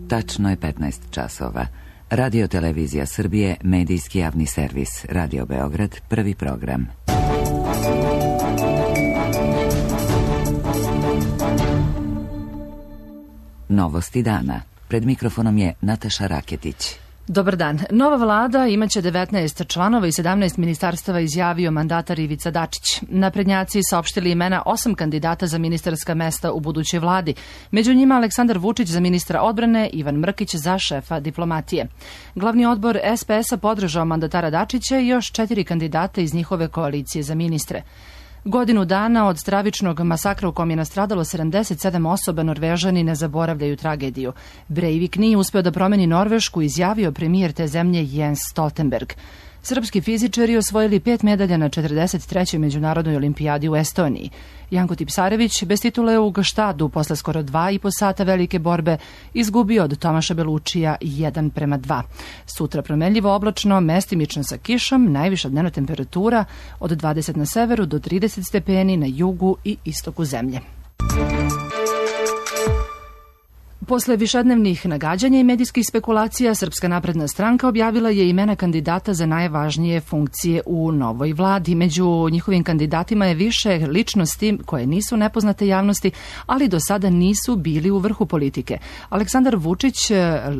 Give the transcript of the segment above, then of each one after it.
Tačno je 15 časova. Radio Televizija Srbije, medijski javni servis. Radio Beograd, prvi program. Novosti dana. Pred mikrofonom je Nataša Raketić. Dobar dan. Nova vlada imaće 19 članova i 17 ministarstava, izjavio mandatar Ivica Dačić. Naprednjaci saopštili imena 8 kandidata za ministarska mesta u budućoj vladi. Među njima Aleksandar Vučić za ministra odbrane, Ivan Mrkić za šefa diplomatije. Glavni odbor SPS-a podržao mandatara Dačića i još 4 kandidata iz njihove koalicije za ministre. Godinu dana od stravičnog masakra u kom je nastradalo 77 osoba, Norvežani ne zaboravljaju tragediju. Breivik nije uspeo da promeni Norvešku, izjavio premijer te zemlje Jens Stoltenberg. Srpski fizičari osvojili 5 medalja na 43. međunarodnoj olimpijadi u Estoniji. Janko Tipsarević bez titule u Gštadu posle skoro 2,5 sata velike borbe izgubio od Tomaša Belučija 1:2. Sutra promenljivo oblačno, mestimično sa kišom, najviša dnevna temperatura od 20 na severu do 30 stepeni na jugu i istoku zemlje. Posle višednevnih nagađanja i medijskih spekulacija, Srpska napredna stranka objavila je imena kandidata za najvažnije funkcije u novoj vladi. Među njihovim kandidatima je više ličnosti koje nisu nepoznate javnosti, ali do sada nisu bili u vrhu politike. Aleksandar Vučić,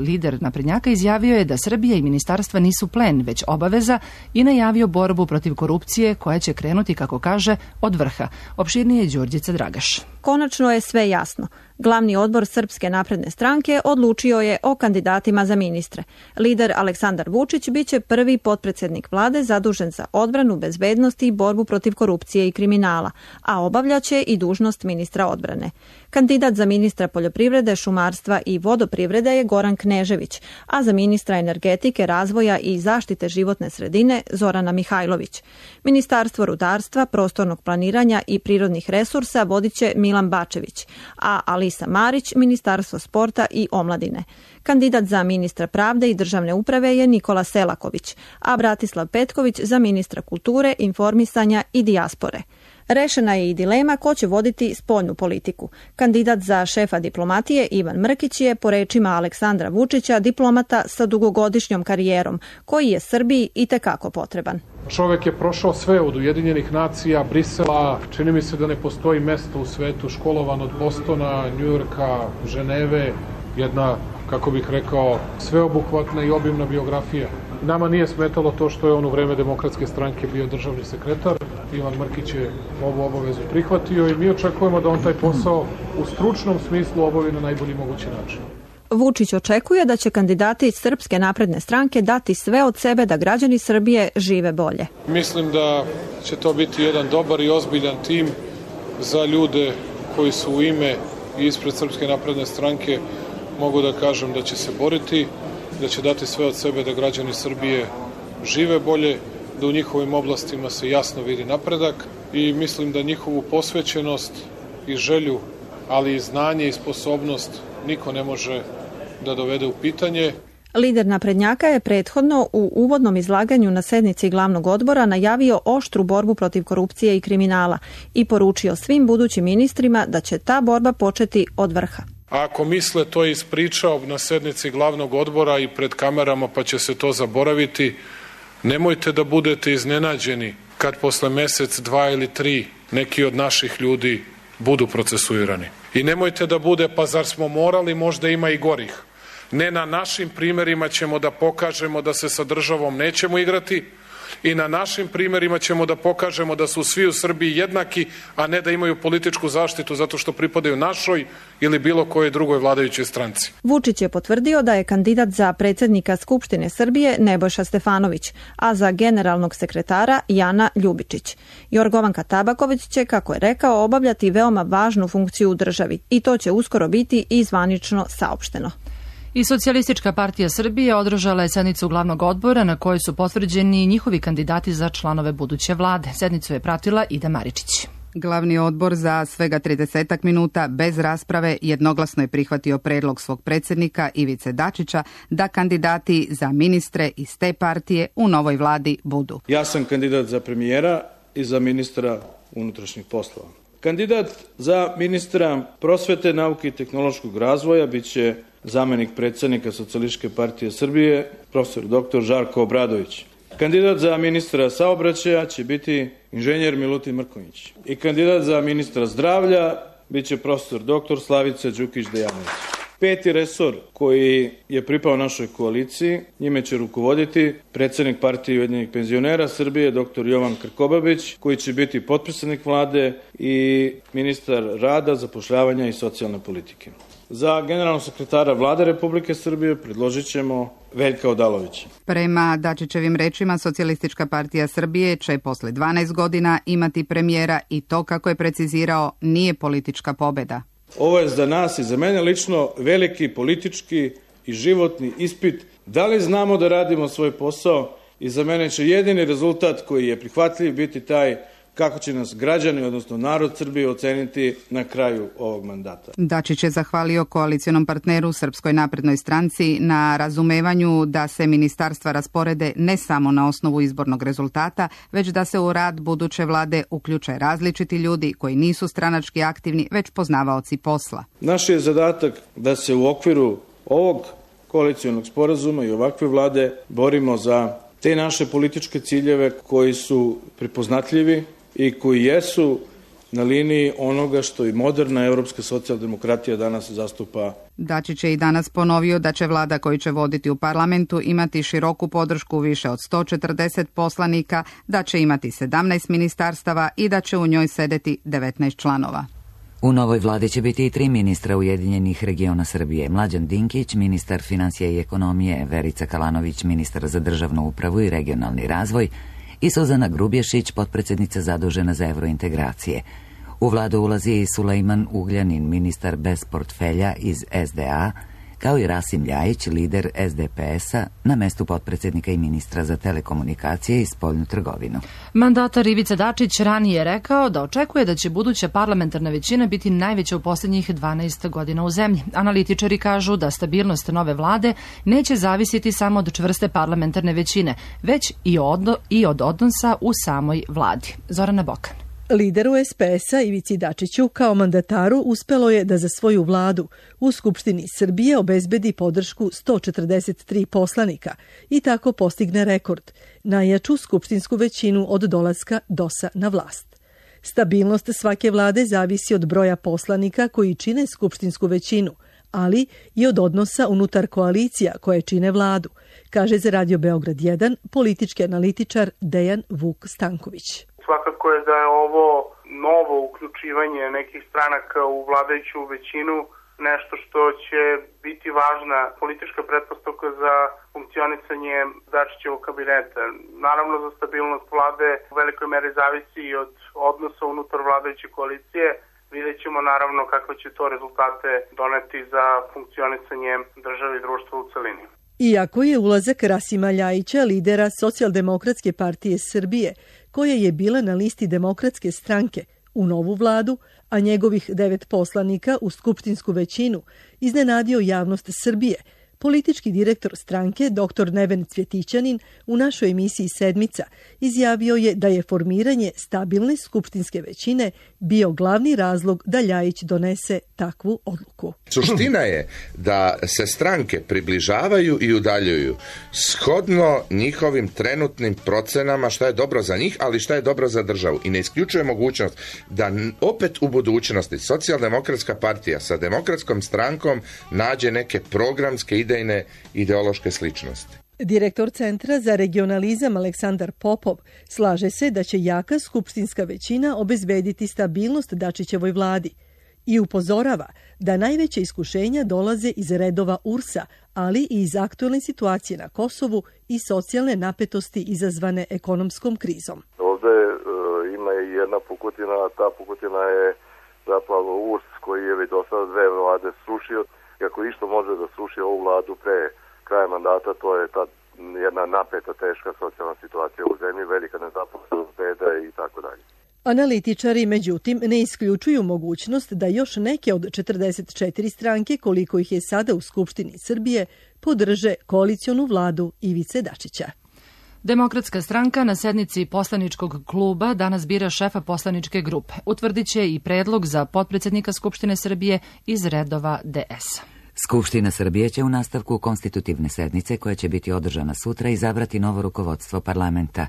lider naprednjaka, izjavio je da Srbija i ministarstva nisu plen, već obaveza i najavio borbu protiv korupcije koja će krenuti, kako kaže, od vrha. Opširnije je Đurđica Dragaš. Konačno je sve jasno. Glavni odbor Srpske napredne stranke odlučio je o kandidatima za ministre. Lider Aleksandar Vučić biće prvi potpredsjednik vlade zadužen za odbranu, bezbednost i borbu protiv korupcije i kriminala, a obavljaće i dužnost ministra odbrane. Kandidat za ministra poljoprivrede, šumarstva i vodoprivrede je Goran Knežević, a za ministra energetike, razvoja i zaštite životne sredine Zorana Mihajlović. Ministarstvo rudarstva, prostornog planiranja i prirodnih resursa vodit će Milan Bačević, a Alisa Marić Ministarstvo sporta i omladine. Kandidat za ministra pravde i državne uprave je Nikola Selaković, a Bratislav Petković za ministra kulture, informisanja i dijaspore. Rešena je i dilema ko će voditi spoljnu politiku. Kandidat za šefa diplomatije Ivan Mrkić je, po rečima Aleksandra Vučića, diplomata sa dugogodišnjom karijerom, koji je Srbiji itekako potreban. Čovek je prošao sve od Ujedinjenih nacija, Brisela, čini mi se da ne postoji mesto u svetu, školovan od Bostona, Njujorka, Ženeve, jedna, kako bih rekao, sveobuhvatna i obimna biografija. Nama nije smetalo to što je on u vreme Demokratske stranke bio državni sekretar. Ivan Mrkić je ovu obavezu prihvatio i mi očekujemo da on taj posao u stručnom smislu obavi na najbolji mogući način. Vučić očekuje da će kandidati iz Srpske napredne stranke dati sve od sebe da građani Srbije žive bolje. Mislim da će to biti jedan dobar i ozbiljan tim za ljude koji su u ime i ispred Srpske napredne stranke. Mogu da kažem da će se boriti, da će dati sve od sebe da građani Srbije žive bolje, da u njihovim oblastima se jasno vidi napredak i mislim da njihovu posvećenost i želju, ali i znanje i sposobnost niko ne može da dovede u pitanje. Lider naprednjaka je prethodno u uvodnom izlaganju na sednici glavnog odbora najavio oštru borbu protiv korupcije i kriminala i poručio svim budućim ministrima da će ta borba početi od vrha. A ako misle to je ispričao na sednici glavnog odbora i pred kamerama pa će se to zaboraviti, nemojte da budete iznenađeni kad posle mesec, 2 ili 3 neki od naših ljudi budu procesuirani. I nemojte da bude pa zar smo morali, možda ima i gorih. Ne, na našim primerima ćemo da pokažemo da se sa državom nećemo igrati i na našim primerima ćemo da pokažemo da su svi u Srbiji jednaki, a ne da imaju političku zaštitu zato što pripadaju našoj ili bilo kojoj drugoj vladajućoj stranci. Vučić je potvrdio da je kandidat za predsjednika Skupštine Srbije Nebojša Stefanović, a za generalnog sekretara Jana Ljubičić. Jorgovanka Tabaković će, kako je rekao, obavljati veoma važnu funkciju u državi i to će uskoro biti i zvanično saopšteno. I Socijalistička partija Srbije održala je sednicu glavnog odbora na kojoj su potvrđeni njihovi kandidati za članove buduće vlade. Sednicu je pratila Ida Maričić. Glavni odbor za svega 30 minuta bez rasprave jednoglasno je prihvatio predlog svog predsjednika Ivice Dačića da kandidati za ministre iz te partije u novoj vladi budu. Ja sam kandidat za premijera i za ministra unutrašnjih poslova. Kandidat za ministra prosvete, nauke i tehnološkog razvoja biće zamenik predsjednika Socijalističke partije Srbije, profesor dr. Žarko Obradović. Kandidat za ministra saobraćaja će biti inženjer Milutin Mrkonjić. I kandidat za ministra zdravlja biće profesor dr. Slavica Đukić-Dejanović. 5. resor koji je pripao našoj koaliciji, njime će rukovoditi predsjednik partije Ujedinjenih penzionera Srbije, dr. Jovan Krkobabić, koji će biti potpredsjednik vlade i ministar rada, zapošljavanja i socijalne politike. Za generalnog sekretara Vlade Republike Srbije predložit ćemo Veljka Odalovića. Prema Dačićevim rečima, Socijalistička partija Srbije će posle 12 godina imati premijera i to, kako je precizirao, nije politička pobjeda. Ovo je za nas i za mene lično veliki politički i životni ispit. Da li znamo da radimo svoj posao, i za mene će jedini rezultat koji je prihvatljiv biti taj kako će nas građani, odnosno narod Srbije, oceniti na kraju ovog mandata. Dačić je zahvalio koalicionom partneru Srpskoj naprednoj stranci na razumevanju da se ministarstva rasporede ne samo na osnovu izbornog rezultata, već da se u rad buduće vlade uključe različiti ljudi koji nisu stranački aktivni, već poznavaoci posla. Naš je zadatak da se u okviru ovog koalicionog sporazuma i ovakve vlade borimo za te naše političke ciljeve koji su prepoznatljivi i koji jesu na liniji onoga što i moderna europska socijaldemokratija danas zastupa. Dačić je i danas ponovio da će vlada koju će voditi u parlamentu imati široku podršku više od 140 poslanika, da će imati 17 ministarstava i da će u njoj sedeti 19 članova. U novoj vladi će biti i 3 ministra Ujedinjenih regiona Srbije. Mlađan Dinkić, ministar financija i ekonomije, Verica Kalanović, ministar za državnu upravu i regionalni razvoj i Suzana Grubješić, potpredsjednica zadužena za evrointegracije. U vladu ulazi i Sulejman Ugljanin, ministar bez portfelja iz SDA, kao i Rasim Ljajić, lider SDP-a, na mestu potpredsjednika i ministra za telekomunikacije i spoljnu trgovinu. Mandatar Ivica Dačić ranije je rekao da očekuje da će buduća parlamentarna većina biti najveća u posljednjih 12 godina u zemlji. Analitičari kažu da stabilnost nove vlade neće zavisiti samo od čvrste parlamentarne većine, već i od odnosa u samoj vladi. Zorana Bokan. Lideru SPS-a Ivici Dačiću kao mandataru uspelo je da za svoju vladu u Skupštini Srbije obezbedi podršku 143 poslanika i tako postigne rekord, najjaču skupštinsku većinu od dolaska DOS-a na vlast. Stabilnost svake vlade zavisi od broja poslanika koji čine skupštinsku većinu, ali i od odnosa unutar koalicija koje čine vladu, kaže za Radio Beograd 1 politički analitičar Dejan Vuk Stanković. Svakako je da je ovo novo uključivanje nekih stranaka u vladajuću većinu nešto što će biti važna politička pretpostavka za funkcionisanje Dačićevog kabineta. Naravno, za stabilnost vlade u velikoj meri zavisi i od odnosa unutar vladajuće koalicije. Vidjet ćemo naravno kakve će to rezultate doneti za funkcionisanje države i društva u celini. Iako je ulazak Rasima Ljajića, lidera Socijaldemokratske partije Srbije, koja je bila na listi Demokratske stranke, u novu vladu, a njegovih 9 poslanika u skupštinsku većinu, iznenadio javnost Srbije, politički direktor stranke, dr. Neven Cvjetićanin, u našoj emisiji Sedmica izjavio je da je formiranje stabilne skupštinske većine bio glavni razlog da Ljajić donese takvu odluku. Suština je da se stranke približavaju i udaljuju shodno njihovim trenutnim procenama šta je dobro za njih, ali šta je dobro za državu. I ne isključuje mogućnost da opet u budućnosti Socijaldemokratska partija sa Demokratskom strankom nađe neke programske idejne ideološke sličnosti. Direktor Centra za regionalizam Aleksandar Popov slaže se da će jaka skupštinska većina obezbediti stabilnost Dačićevoj vladi i upozorava da najveće iskušenja dolaze iz redova URS-a, ali i iz aktualne situacije na Kosovu i socijalne napetosti izazvane ekonomskom krizom. Ovdje ima i jedna pukotina, ta pukotina je zapravo URS koji je već do sada 2 vlade srušio. Ako išto može da sruši ovu vladu pre kraja mandata, to je ta jedna napeta, teška socijalna situacija u zemlji, velika nezaposlenost, beda i tako dalje. Analitičari, međutim, ne isključuju mogućnost da još neke od 44 stranke, koliko ih je sada u Skupštini Srbije, podrže koalicionu vladu Ivice Dačića. Demokratska stranka na sednici poslaničkog kluba danas bira šefa poslaničke grupe. Utvrdit će i predlog za potpredsjednika Skupštine Srbije iz redova DS. Skupština Srbije će u nastavku konstitutivne sednice, koja će biti održana sutra, izabrati novo rukovodstvo parlamenta.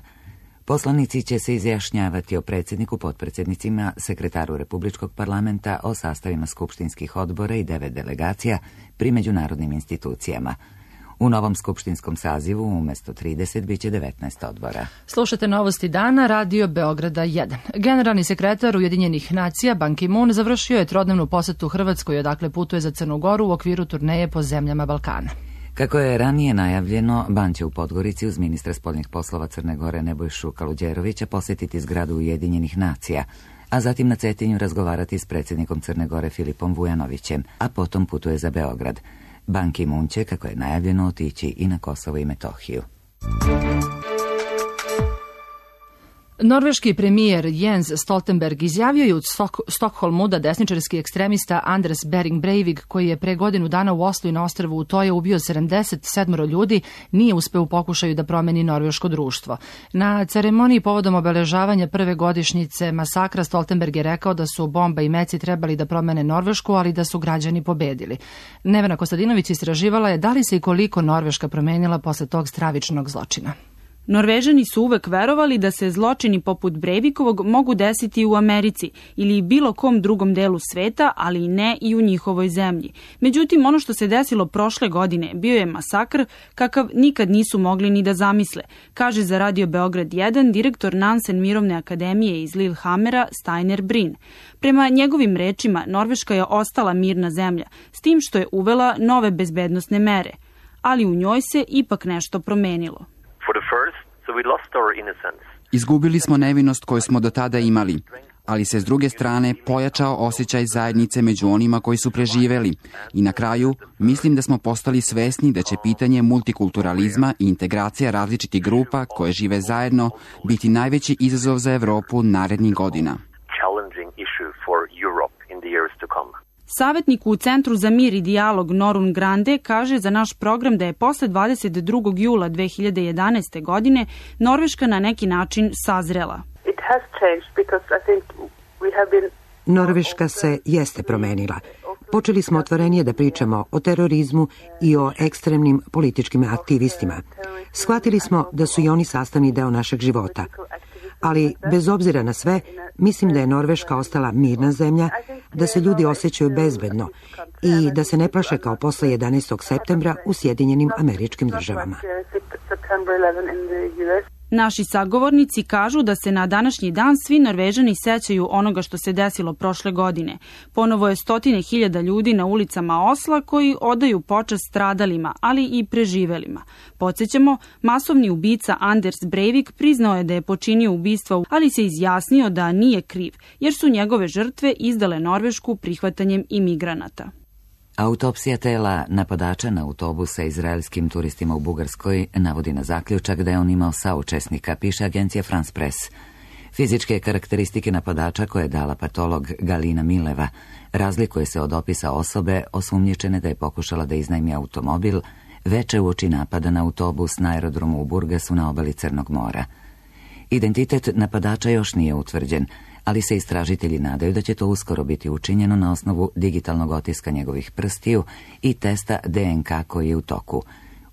Poslanici će se izjašnjavati o predsjedniku, potpredsjednicima, sekretaru Republičkog parlamenta, o sastavima skupštinskih odbora i 9 delegacija pri međunarodnim institucijama. U novom skupštinskom sazivu umjesto 30 biće 19 odbora. Slušate novosti dana, Radio Beograda 1. Generalni sekretar Ujedinjenih nacija Ban Ki-moon završio je trodnevnu posetu Hrvatskoj, odakle putuje za Crnu Goru u okviru turneje po zemljama Balkana. Kako je ranije najavljeno, Ban će u Podgorici uz ministra spoljnih poslova Crne Gore Nebojšu Kaluđerovića posjetiti zgradu Ujedinjenih nacija, a zatim na Cetinju razgovarati s predsjednikom Crne Gore Filipom Vujanovićem, a potom putuje za Beograd. Ban Ki-moon će, kako je najavljeno, otići i na Kosovo i Metohiju. Norveški premijer Jens Stoltenberg izjavio je u Stokholmu da desničarski ekstremista Anders Behring Breivik, koji je pre godinu dana u Oslu i na ostrvu Utoja ubio 77 ljudi, nije uspeo u pokušaju da promeni norveško društvo. Na ceremoniji povodom obeležavanja prve godišnjice masakra Stoltenberg je rekao da su bomba i meci trebali da promene Norvešku, ali da su građani pobedili. Nevena Kostadinović istraživala je da li se i koliko Norveška promenila posle tog stravičnog zločina. Norvežani su uvek verovali da se zločini poput Breivikovog mogu desiti u Americi ili bilo kom drugom delu sveta, ali i ne i u njihovoj zemlji. Međutim, ono što se desilo prošle godine bio je masakr kakav nikad nisu mogli ni da zamisle, kaže za Radio Beograd 1 direktor Nansen Mirovne akademije iz Lillehammera Steiner Brin. Prema njegovim rečima, Norveška je ostala mirna zemlja, s tim što je uvela nove bezbednosne mere, ali u njoj se ipak nešto promenilo. Izgubili smo nevinost koju smo do tada imali, ali se s druge strane pojačao osjećaj zajednice među onima koji su preživeli. I na kraju, mislim da smo postali svesni da će pitanje multikulturalizma i integracija različitih grupa koje žive zajedno biti najveći izazov za Evropu narednih godina. Savetnik u Centru za mir i dijalog Norun Grande kaže za naš program da je posle 22. jula 2011. godine Norveška na neki način sazrela. Norveška se jeste promenila. Počeli smo otvorenije da pričamo o terorizmu i o ekstremnim političkim aktivistima. Shvatili smo da su i oni sastavni deo našeg života. Ali, bez obzira na sve, mislim da je Norveška ostala mirna zemlja, da se ljudi osjećaju bezbedno i da se ne plaše kao posle 11. septembra u Sjedinjenim Američkim Državama. Naši sagovornici kažu da se na današnji dan svi Norvežani sećaju onoga što se desilo prošle godine. Ponovo je 100.000 ljudi na ulicama Osla koji odaju počast stradalima, ali i preživelima. Podsjećamo, masovni ubica Anders Breivik priznao je da je počinio ubistvo, ali se izjasnio da nije kriv, jer su njegove žrtve izdale Norvešku prihvatanjem imigranata. Autopsija tela napadača na autobus sa izraelskim turistima u Bugarskoj navodi na zaključak da je on imao saučesnika, piše agencija France Press. Fizičke karakteristike napadača koje je dala patolog Galina Mileva razlikuje se od opisa osobe osumnjičene da je pokušala da iznajmi automobil veče uoči napada na autobus na aerodromu u Burgasu na obali Crnog mora. Identitet napadača još nije utvrđen, ali se istražitelji nadaju da će to uskoro biti učinjeno na osnovu digitalnog otiska njegovih prstiju i testa DNK koji je u toku.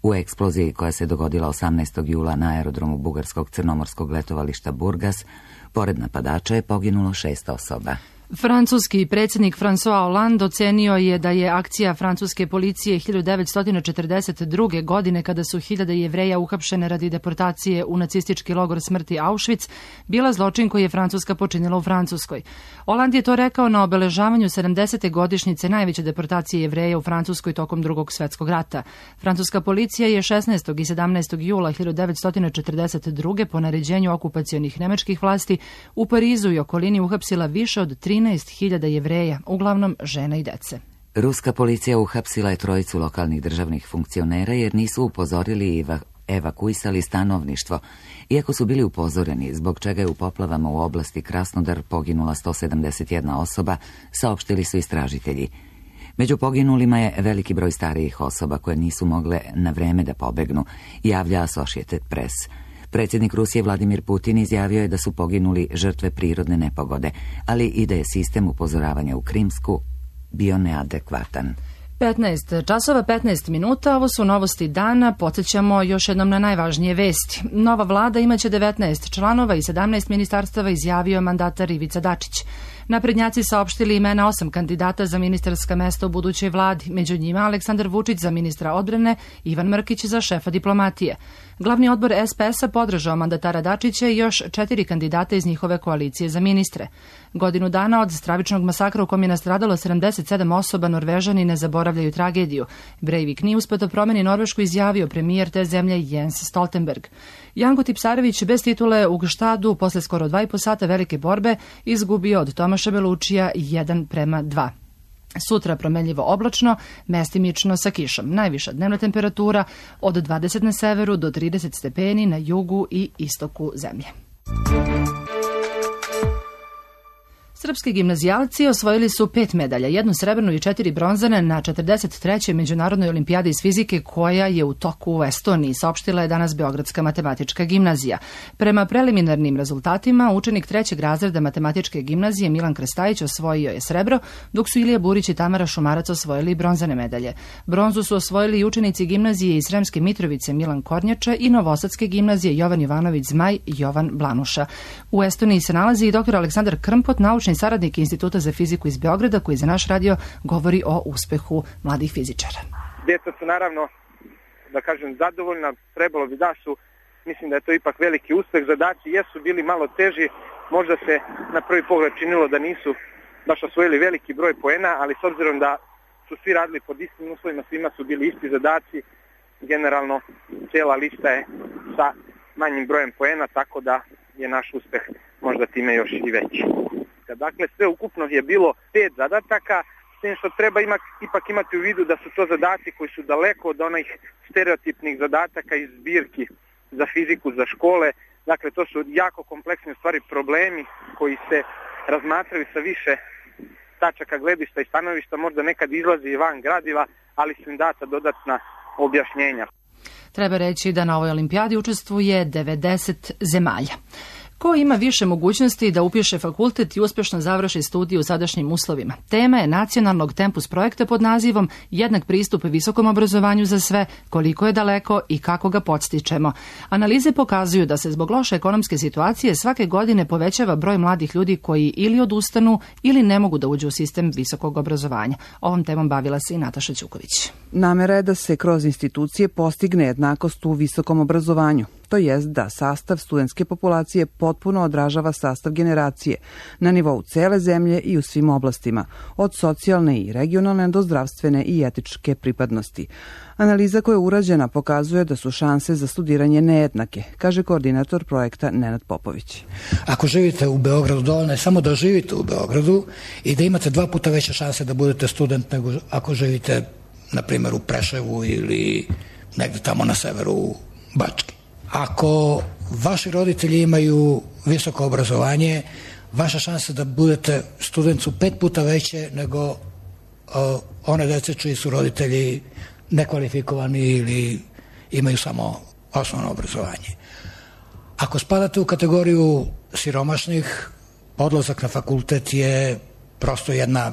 U eksploziji koja se dogodila 18. jula na aerodromu bugarskog crnomorskog letovališta Burgas, pored napadača je poginulo 6 osoba. Francuski predsjednik François Hollande ocenio je da je akcija francuske policije 1942. godine, kada su hiljade Jevreja uhapšene radi deportacije u nacistički logor smrti Auschwitz, bila zločin koji je Francuska počinila u Francuskoj. Hollande je to rekao na obeležavanju 70. godišnjice najveće deportacije Jevreja u Francuskoj tokom Drugog svjetskog rata. Francuska policija je 16. i 17. jula 1942. po naređenju okupacionih nemačkih vlasti u Parizu i okolini uhapsila više od 13.000 Jevreja, uglavnom žena i dece. Ruska policija uhapsila je 3 lokalnih državnih funkcionera jer nisu upozorili i evakuisali stanovništvo, iako su bili upozoreni, zbog čega je u poplavama u oblasti Krasnodar poginula 171 osoba, saopštili su istražitelji. Među poginulima je veliki broj starijih osoba koje nisu mogle na vreme da pobegnu, javlja Associated Press. Predsjednik Rusije Vladimir Putin izjavio je da su poginuli žrtve prirodne nepogode, ali i da je sistem upozoravanja u Krimsku bio neadekvatan. 15 časova 15 minuta, ovo su novosti dana, podsjećamo još jednom na najvažnije vesti. Nova vlada imaće 19 članova i 17 ministarstava, izjavio mandatar Ivica Dačić. Naprednjaci saopštili imena 8 kandidata za ministarska mesta u budućoj vladi, među njima Aleksandar Vučić za ministra odbrane, Ivan Mrkić za šefa diplomatije. Glavni odbor SPS-a podržao mandatara Dačića i još 4 kandidata iz njihove koalicije za ministre. Godinu dana od stravičnog masakra u kom je nastradalo 77 osoba, Norvežani ne zaboravljaju tragediju. Breivik nije uspeo da promeni Norvešku, izjavio premijer te zemlje Jens Stoltenberg. Janko Tipsarević bez titule u Gštadu posle skoro 2,5 sata velike borbe izgubio od Tomaša Belučija 1:2. Sutra promenljivo oblačno, mestimično sa kišom. Najviša dnevna temperatura od 20 na severu do 30 stepeni na jugu i istoku zemlje. Srpski gimnazijalci osvojili su 5 medalja, 1 srebrnu i 4 bronzane na 43. Međunarodnoj olimpijadi iz fizike koja je u toku u Estoniji, saopštila je danas Beogradska matematička gimnazija. Prema preliminarnim rezultatima, učenik 3. razreda matematičke gimnazije Milan Krstajić osvojio je srebro, dok su Ilija Burić i Tamara Šumarac osvojili bronzane medalje. Bronzu su osvojili i učenici gimnazije iz Sremske Mitrovice Milan Kornjača i Novosadske gimnazije Jovan Jovanović Zmaj Jovan Blanuša. U Estoniji se nalazi i dr. Aleksandar Krmpot, naučni saradnik Instituta za fiziku iz Beograda, koji za naš radio govori o uspehu mladih fizičara. Djeca su naravno, da kažem, zadovoljna, trebalo bi da su, mislim da je to ipak veliki uspeh. Zadaci jesu bili malo teži, možda se na prvi pogled činilo da nisu baš osvojili veliki broj poena, ali s obzirom da su svi radili pod istim uslovima, svima su bili isti zadaci, generalno cijela lista je sa manjim brojem poena, tako da je naš uspeh možda time još i veći. Dakle, sve ukupno je bilo 5 zadataka, s tim što treba ipak imati u vidu da su to zadaci koji su daleko od onih stereotipnih zadataka iz zbirki za fiziku, za škole. Dakle, to su jako kompleksni stvari, problemi koji se razmatraju sa više tačaka gledišta i stanovišta, možda nekad izlazi i van gradiva, ali su im data dodatna objašnjenja. Treba reći da na ovoj olimpijadi učestvuje 90 zemalja. Ko ima više mogućnosti da upiše fakultet i uspješno završi studiju u sadašnjim uslovima? Tema je nacionalnog Tempus projekta pod nazivom Jednak pristup visokom obrazovanju za sve, koliko je daleko i kako ga podstičemo. Analize pokazuju da se zbog loše ekonomske situacije svake godine povećava broj mladih ljudi koji ili odustanu ili ne mogu da uđu u sistem visokog obrazovanja. Ovom temom bavila se i Nataša Ćuković. Namera je da se kroz institucije postigne jednakost u visokom obrazovanju. To jest da sastav studentske populacije potpuno odražava sastav generacije na nivou cele zemlje i u svim oblastima, od socijalne i regionalne do zdravstvene i etičke pripadnosti. Analiza koja je urađena pokazuje da su šanse za studiranje nejednake, kaže koordinator projekta Nenad Popović. Ako živite u Beogradu, dovoljno je samo da živite u Beogradu i da imate 2 puta veće šanse da budete student nego ako živite, na primjer, u Preševu ili negde tamo na severu u Bački. Ako vaši roditelji imaju visoko obrazovanje, vaša šansa da budete student su 5 puta veće nego one dece čiji su roditelji nekvalifikovani ili imaju samo osnovno obrazovanje. Ako spadate u kategoriju siromašnih, odlazak na fakultet je prosto jedna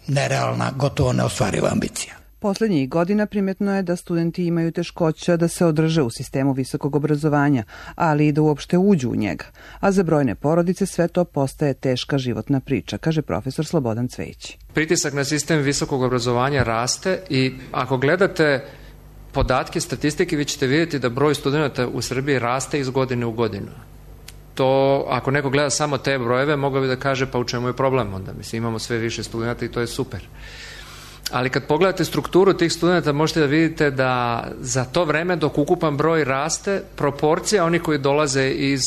nerealna, gotovo neostvariva ambicija. Poslednjih godina primjetno je da studenti imaju teškoća da se održe u sistemu visokog obrazovanja, ali i da uopšte uđu u njega. A za brojne porodice sve to postaje teška životna priča, kaže profesor Slobodan Cvejić. Pritisak na sistem visokog obrazovanja raste i ako gledate podatke, statistike, vi ćete vidjeti da broj studenta u Srbiji raste iz godine u godinu. To, ako neko gleda samo te brojeve, mogao bi da kaže pa u čemu je problem onda. Mislim, imamo sve više studenta i to je super. Ali kad pogledate strukturu tih studenta, možete da vidite da za to vreme dok ukupan broj raste, proporcija onih koji dolaze iz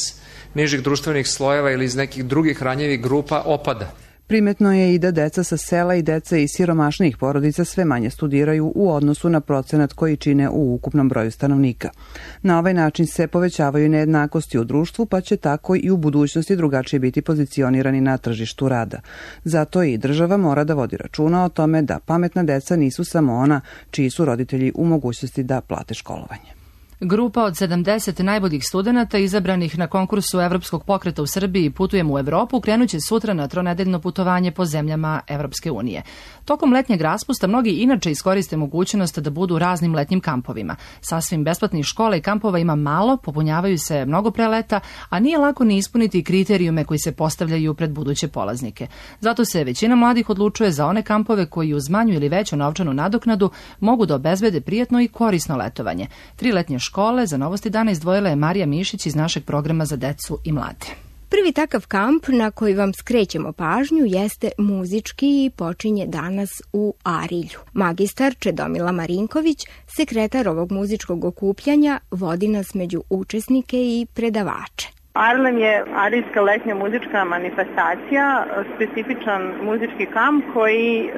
nižih društvenih slojeva ili iz nekih drugih ranjivih grupa opada. Primetno je i da deca sa sela i deca iz siromašnijih porodica sve manje studiraju u odnosu na procenat koji čine u ukupnom broju stanovnika. Na ovaj način se povećavaju nejednakosti u društvu, pa će tako i u budućnosti drugačije biti pozicionirani na tržištu rada. Zato i država mora da vodi računa o tome da pametna deca nisu samo ona čiji su roditelji u mogućnosti da plate školovanje. Grupa od 70 najboljih studenata izabranih na konkursu Evropskog pokreta u Srbiji Putujem u Evropu krenuće sutra na tronedeljno putovanje po zemljama Evropske unije. Tokom letnjeg raspusta mnogi inače iskoriste mogućnost da budu u raznim letnjim kampovima. Sasvim besplatnih škola i kampova ima malo, popunjavaju se mnogo pre leta, a nije lako ni ispuniti kriterijume koji se postavljaju pred buduće polaznike. Zato se većina mladih odlučuje za one kampove koji uz manju ili veću novčanu nadoknadu mogu da obezbede prijatno i korisno letovanje. 3 letnje škole za Novosti dana izdvojila je Marija Mišić iz našeg programa za decu i mlade. Prvi takav kamp na koji vam skrećemo pažnju jeste muzički i počinje danas u Arilju. Magistar Čedomila Marinković, sekretar ovog muzičkog okupljanja, vodi nas među učesnike i predavače. Arlem je arijska letnja muzička manifestacija, specifičan muzički kamp koji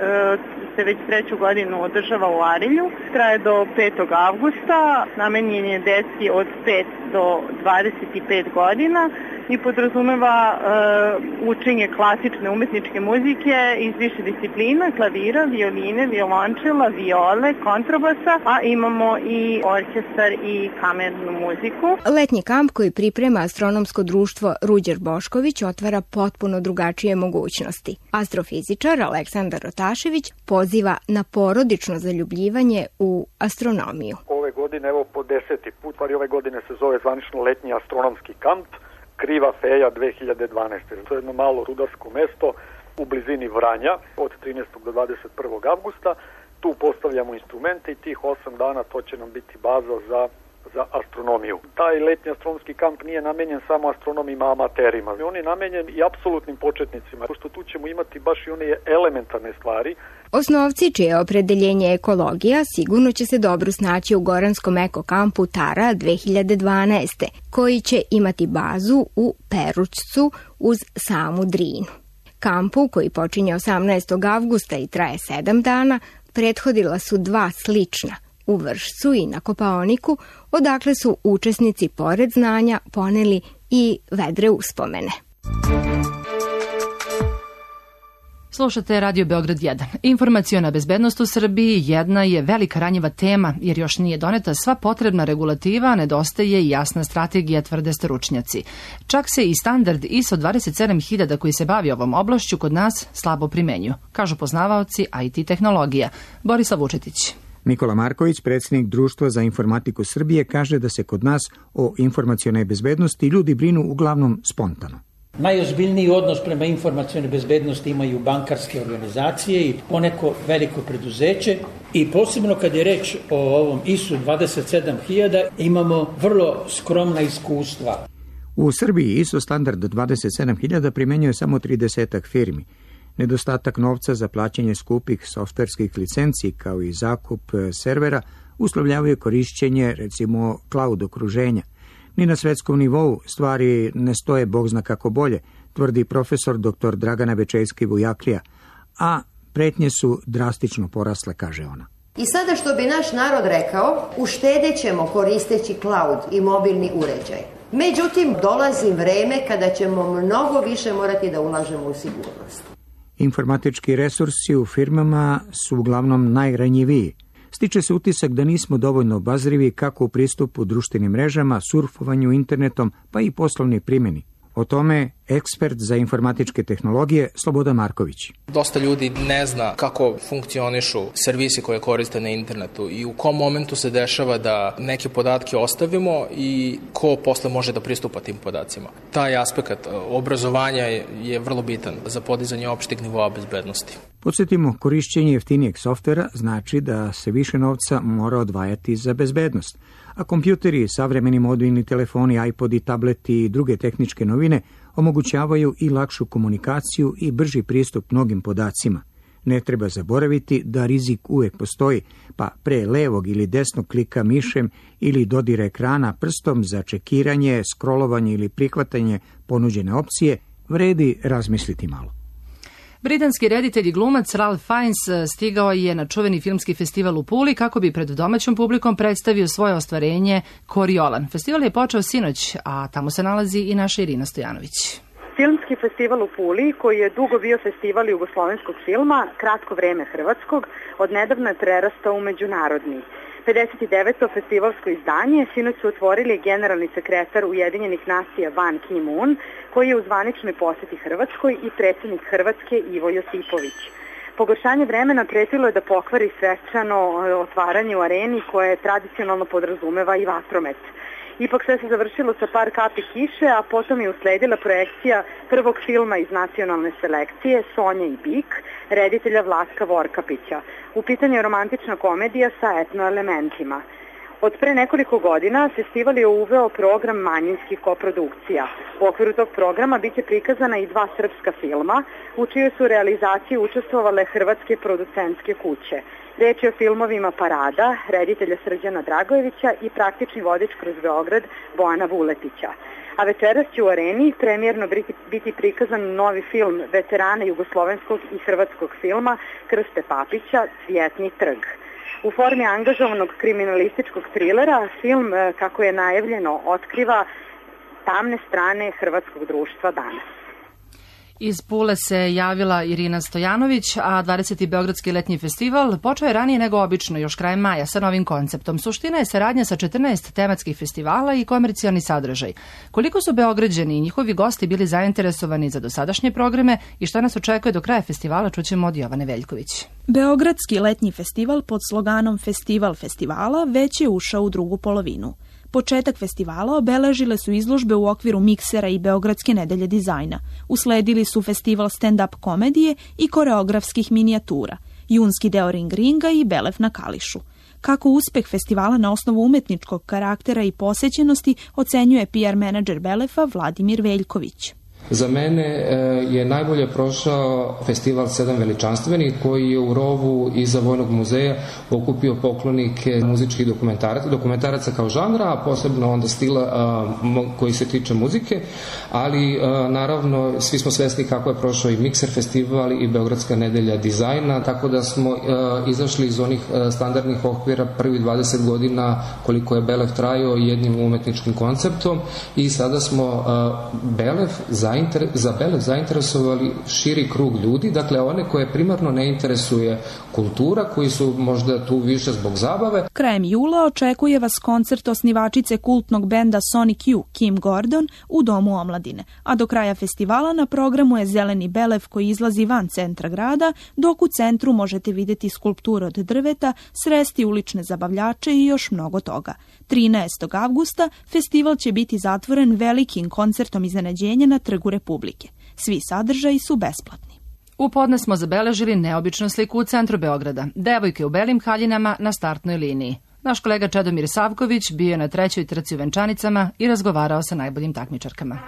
se već 3. godinu održava u Arilju. Traje do 5. avgusta, namenjen je deci od 5 do 25 godina i podrazumeva učenje klasične umetničke muzike iz više disciplina, klavira, violine, violončela, viole, kontrabasa, a imamo i orkestar i kamernu muziku. Letnji kamp koji priprema astronomsko društvo Ruđer Bošković otvara potpuno drugačije mogućnosti. Astrofizičar Aleksandar Rotašević poziva na porodično zaljubljivanje u astronomiju. Ove godine, evo po 10. put, ove godine se zove zvanično letnji astronomski kamp Kriva Feja 2012. To je jedno malo rudarsko mesto u blizini Vranja od 13. do 21. avgusta. Tu postavljamo instrumente i tih 8 dana to će nam biti baza za astronomiju. Taj letnji astronomski kamp nije namenjen samo astronomima amaterima. On je namenjen i apsolutnim početnicima, pošto tu ćemo imati baš i one elementarne stvari. Osnovci, čije opredeljenje ekologija, sigurno će se dobro snaći u Goranskom ekokampu Tara 2012. koji će imati bazu u Perućcu uz samu Drinu. Kampu, koji počinje 18. avgusta i traje 7 dana, prethodila su 2 slična u Vršcu i na Kopaoniku, odakle su učesnici pored znanja poneli i vedre uspomene. Slušate Radio Beograd 1. Informaciona bezbednost u Srbiji jedna je velika ranjiva tema, jer još nije doneta sva potrebna regulativa, nedostaje i jasna strategija, tvrde stručnjaci. Čak se i standard ISO 27000 koji se bavi ovom oblašću kod nas slabo primenju, kažu poznavaoci IT tehnologija. Borislav Vučetić. Nikola Marković, predsjednik Društva za informatiku Srbije, kaže da se kod nas o informacionoj bezbednosti ljudi brinu uglavnom spontano. Najozbiljniji odnos prema informacionoj bezbednosti imaju bankarske organizacije i poneko veliko preduzeće i posebno kad je reč o ovom ISO 27000 imamo vrlo skromna iskustva. U Srbiji ISO standard 27000 primenjuje samo 30 firmi. Nedostatak novca za plaćanje skupih softverskih licenci kao i zakup servera uslovljavaju korišćenje, recimo, cloud okruženja. Ni na svetskom nivou stvari ne stoje bog zna kako bolje, tvrdi profesor dr. Dragana Bečejski-Vujaklija, a pretnje su drastično porasle, kaže ona. I sada što bi naš narod rekao, uštedećemo koristeći cloud i mobilni uređaj. Međutim, dolazi vreme kada ćemo mnogo više morati da ulažemo u sigurnost. Informatički resursi u firmama su uglavnom najranjiviji. Stiče se utisak da nismo dovoljno obazrivi kako u pristupu društvenim mrežama, surfovanju internetom, pa i poslovnoj primjeni. O tome ekspert za informatičke tehnologije Slobodan Marković. Dosta ljudi ne zna kako funkcionišu servisi koje koriste na internetu i u kom momentu se dešava da neke podatke ostavimo i ko posle može da pristupa tim podacima. Taj aspekt obrazovanja je vrlo bitan za podizanje opšteg nivoa bezbednosti. Podsjetimo, korišćenje jeftinijeg softvera znači da se više novca mora odvajati za bezbednost, a kompjuteri, savremeni mobilni telefoni, iPodi, tableti i druge tehničke novine omogućavaju i lakšu komunikaciju i brži pristup mnogim podacima. Ne treba zaboraviti da rizik uvek postoji, pa pre levog ili desnog klika mišem ili dodira ekrana prstom za čekiranje, scrollovanje ili prihvatanje ponuđene opcije, vredi razmisliti malo. Britanski reditelj i glumac Ralph Fiennes stigao je na čuveni filmski festival u Puli kako bi pred domaćom publikom predstavio svoje ostvarenje Koriolan. Festival je počeo sinoć, a tamo se nalazi i naša Irina Stojanović. Filmski festival u Puli, koji je dugo bio festival jugoslovenskog filma, kratko vreme hrvatskog, odnedavno je prerastao u međunarodni. 59. festivalsko izdanje sinoć su otvorili generalni sekretar Ujedinjenih nacija Ban Ki-moon, koji je u zvaničnoj poseti Hrvatskoj, i predsjednik Hrvatske Ivo Josipović. Pogoršanje vremena pretilo je da pokvari svečano otvaranje u areni koje tradicionalno podrazumeva i vatromet. Ipak sve se završilo sa par kapi kiše, a potom je usledila projekcija prvog filma iz nacionalne selekcije Sonja i Bik, reditelja Vlatka Vorkapića. U pitanju je romantična komedija sa etno elementima. Od pre nekoliko godina festival je uveo program manjinskih koprodukcija. U okviru tog programa biće prikazana i 2 srpska filma, u čijoj su realizaciji učestvovale hrvatske producentske kuće. Reč je o filmovima Parada, reditelja Srđana Dragojevića, i Praktični vodič kroz Beograd Bojana Vuletića. A večeras će u areni premijerno biti prikazan novi film veterana jugoslovenskog i hrvatskog filma Krste Papića, Cvjetni trg. U formi angažovanog kriminalističkog trilera, film, kako je najavljeno, otkriva tamne strane hrvatskog društva danas. Iz Pule se javila Irina Stojanović, a 20. Beogradski letnji festival počeo je ranije nego obično, još krajem maja, sa novim konceptom. Suština je saradnja sa 14 tematskih festivala i komercijalni sadržaj. Koliko su Beograđani i njihovi gosti bili zainteresovani za dosadašnje programe i šta nas očekuje do kraja festivala, čućemo od Jovane Veljković. Beogradski letnji festival pod sloganom Festival festivala već je ušao u drugu polovinu. Početak festivala obeležile su izložbe u okviru Miksera i Beogradske nedelje dizajna. Usledili su festival stand-up komedije i koreografskih minijatura, junski deo Ring Ringa i Belev na Kališu. Kako uspeh festivala na osnovu umetničkog karaktera i posećenosti ocenjuje PR menadžer Belefa Vladimir Veljković. Za mene je najbolje prošao festival 7 veličanstvenih, koji je u rovu iza Vojnog muzeja okupio poklonike muzičkih dokumentaraca kao žanra, a posebno onda stila koji se tiče muzike, ali naravno svi smo svesni kako je prošao i Mikser festival i Beogradska nedelja dizajna, tako da smo izašli iz onih standardnih okvira prvi 20 godina koliko je Belev trajao jednim umetničkim konceptom, i sada smo za Belev zainteresovali širi krug ljudi, dakle one koje primarno ne interesuje kultura, koji su možda tu više zbog zabave. Krajem jula očekuje vas koncert osnivačice kultnog benda Sonic Youth, Kim Gordon, u Domu omladine, a do kraja festivala na programu je Zeleni Belev koji izlazi van centra grada, dok u centru možete vidjeti skulpture od drveta, sresti ulične zabavljače i još mnogo toga. 13. avgusta festival će biti zatvoren velikim koncertom iznenađenja na Trgu Republike. Svi sadržaji su besplatni. U podne smo zabeležili neobičnu sliku u centru Beograda. Devojke u belim haljinama na startnoj liniji. Naš kolega Čedomir Savković bio je na 3. trci u venčanicama i razgovarao sa najboljim takmičarkama.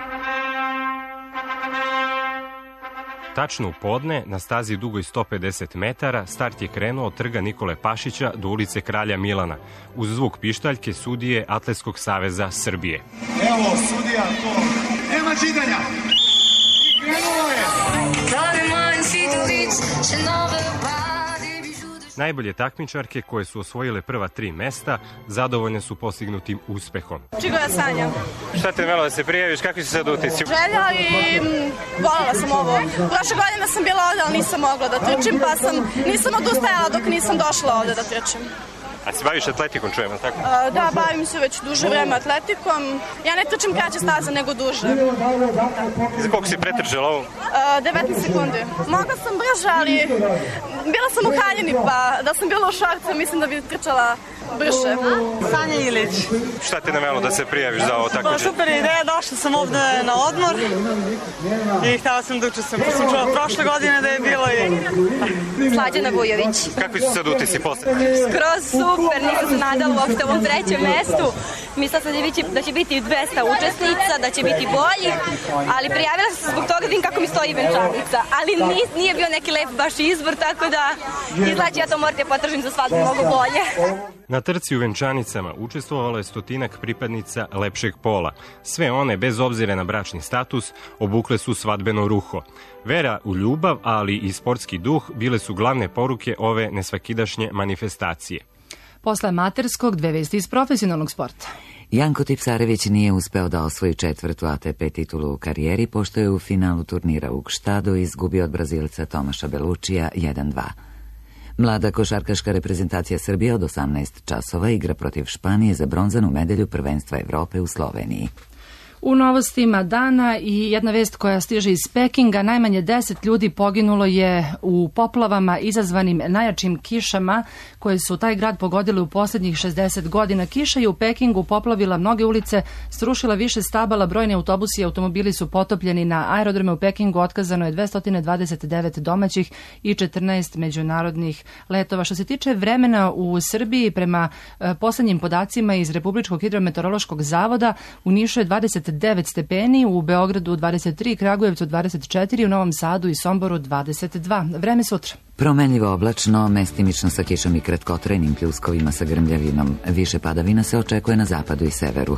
Tačno u podne, na stazi dugoj 150 metara, start je krenuo od trga Nikole Pašića do ulice Kralja Milana, uz zvuk pištaljke sudije Atletskog saveza Srbije. Evo, sudija, to nema čitanja. I krenulo je. Najbolje takmičarke koje su osvojile prva 3 mesta zadovoljne su postignutim uspehom. Čega ja sanjam? Šta te navelo da se prijaviš? Kakvi su sad utisci? Želja i voljela sam ovo. Prošle godine sam bila ovdje, ali nisam mogla da trčim, pa nisam odustajala dok nisam došla ovdje da trčim. A se baviš atletikom, čujemo, tako? Da, bavim se već duže vreme atletikom. Ja ne trčim kraće staze, nego duže. Za koliko si pretrčala ovo? 19 sekundi. Mogla sam brže, ali bila sam u haljini, pa da sam bila u šorcu, mislim da bi trčala brže. Sanja Ilić. Šta te navelo da se prijaviš za ovo takmičenje? Super ideja, došla sam ovde na odmor i htjela sam da učestvujem. Pa sam čula prošle godine da je bilo i... Slađana Vujović. Kakvi su sad utisci posle? Skroz super, nisam se nadala uopšte u ovom 3. mestu. Mislila sam da će biti 200 učesnica, da će biti bolji, ali prijavila sam se zbog toga da vidim kako mi stoji venčanica. Ali nije bio neki lep baš izbor, tako da izlači ja to morate potražim za svadbu mnogo bolje. Na trci u venčanicama učestvovalo je 100 pripadnica lepšeg pola. Sve one, bez obzira na bračni status, obukle su svadbeno ruho. Vera u ljubav, ali i sportski duh bile su glavne poruke ove nesvakidašnje manifestacije. Posle amaterskog, 2 vesti iz profesionalnog sporta. Janko Tipsarević nije uspeo da osvoji 4. ATP titulu u karijeri, pošto je u finalu turnira u Gštadu izgubio od Brazilca Tomaša Belučija 1-2. Mlada košarkaška reprezentacija Srbije od 18 časova igra protiv Španije za bronzanu medalju prvenstva Evrope u Sloveniji. U novostima dana i jedna vest koja stiže iz Pekinga, najmanje 10 ljudi poginulo je u poplavama izazvanim najjačim kišama koje su taj grad pogodile u posljednjih 60 godina. Kiša je u Pekingu poplavila mnoge ulice, srušila više stabala, brojni autobusi i automobili su potopljeni. Na aerodrome u Pekingu otkazano je 229 domaćih i 14 međunarodnih letova. Što se tiče vremena u Srbiji, prema poslednjim podacima iz Republičkog hidrometeorološkog zavoda, u Nišu je 29 stepeni, u Beogradu 23, Kragujevcu 24, u Novom Sadu i Somboru 22. Vreme sutra. Promenljivo oblačno, mestimično sa kišom i kratkotrajnim pljuskovima sa grmljavinom. Više padavina se očekuje na zapadu i severu.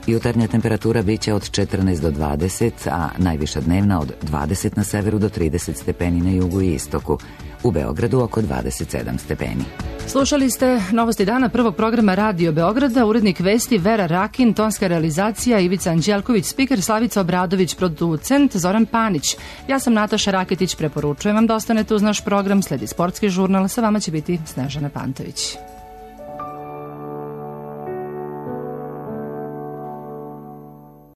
Jutarnja temperatura biće od 14 do 20, a najviša dnevna od 20 na severu do 30 stepeni na jugu i istoku. U Beogradu oko 27 stepeni. Slušali ste Novosti dana prvog programa Radio Beograda, urednik vesti Vera Rakin, tonska realizacija Ivica Anđelković, spiker Slavica Obradović, producent Zoran Panić. Ja sam Nataša Raketić, preporučujem vam da ostanete uz naš program, sledi sportski žurnal, sa vama će biti Snežana Pantović.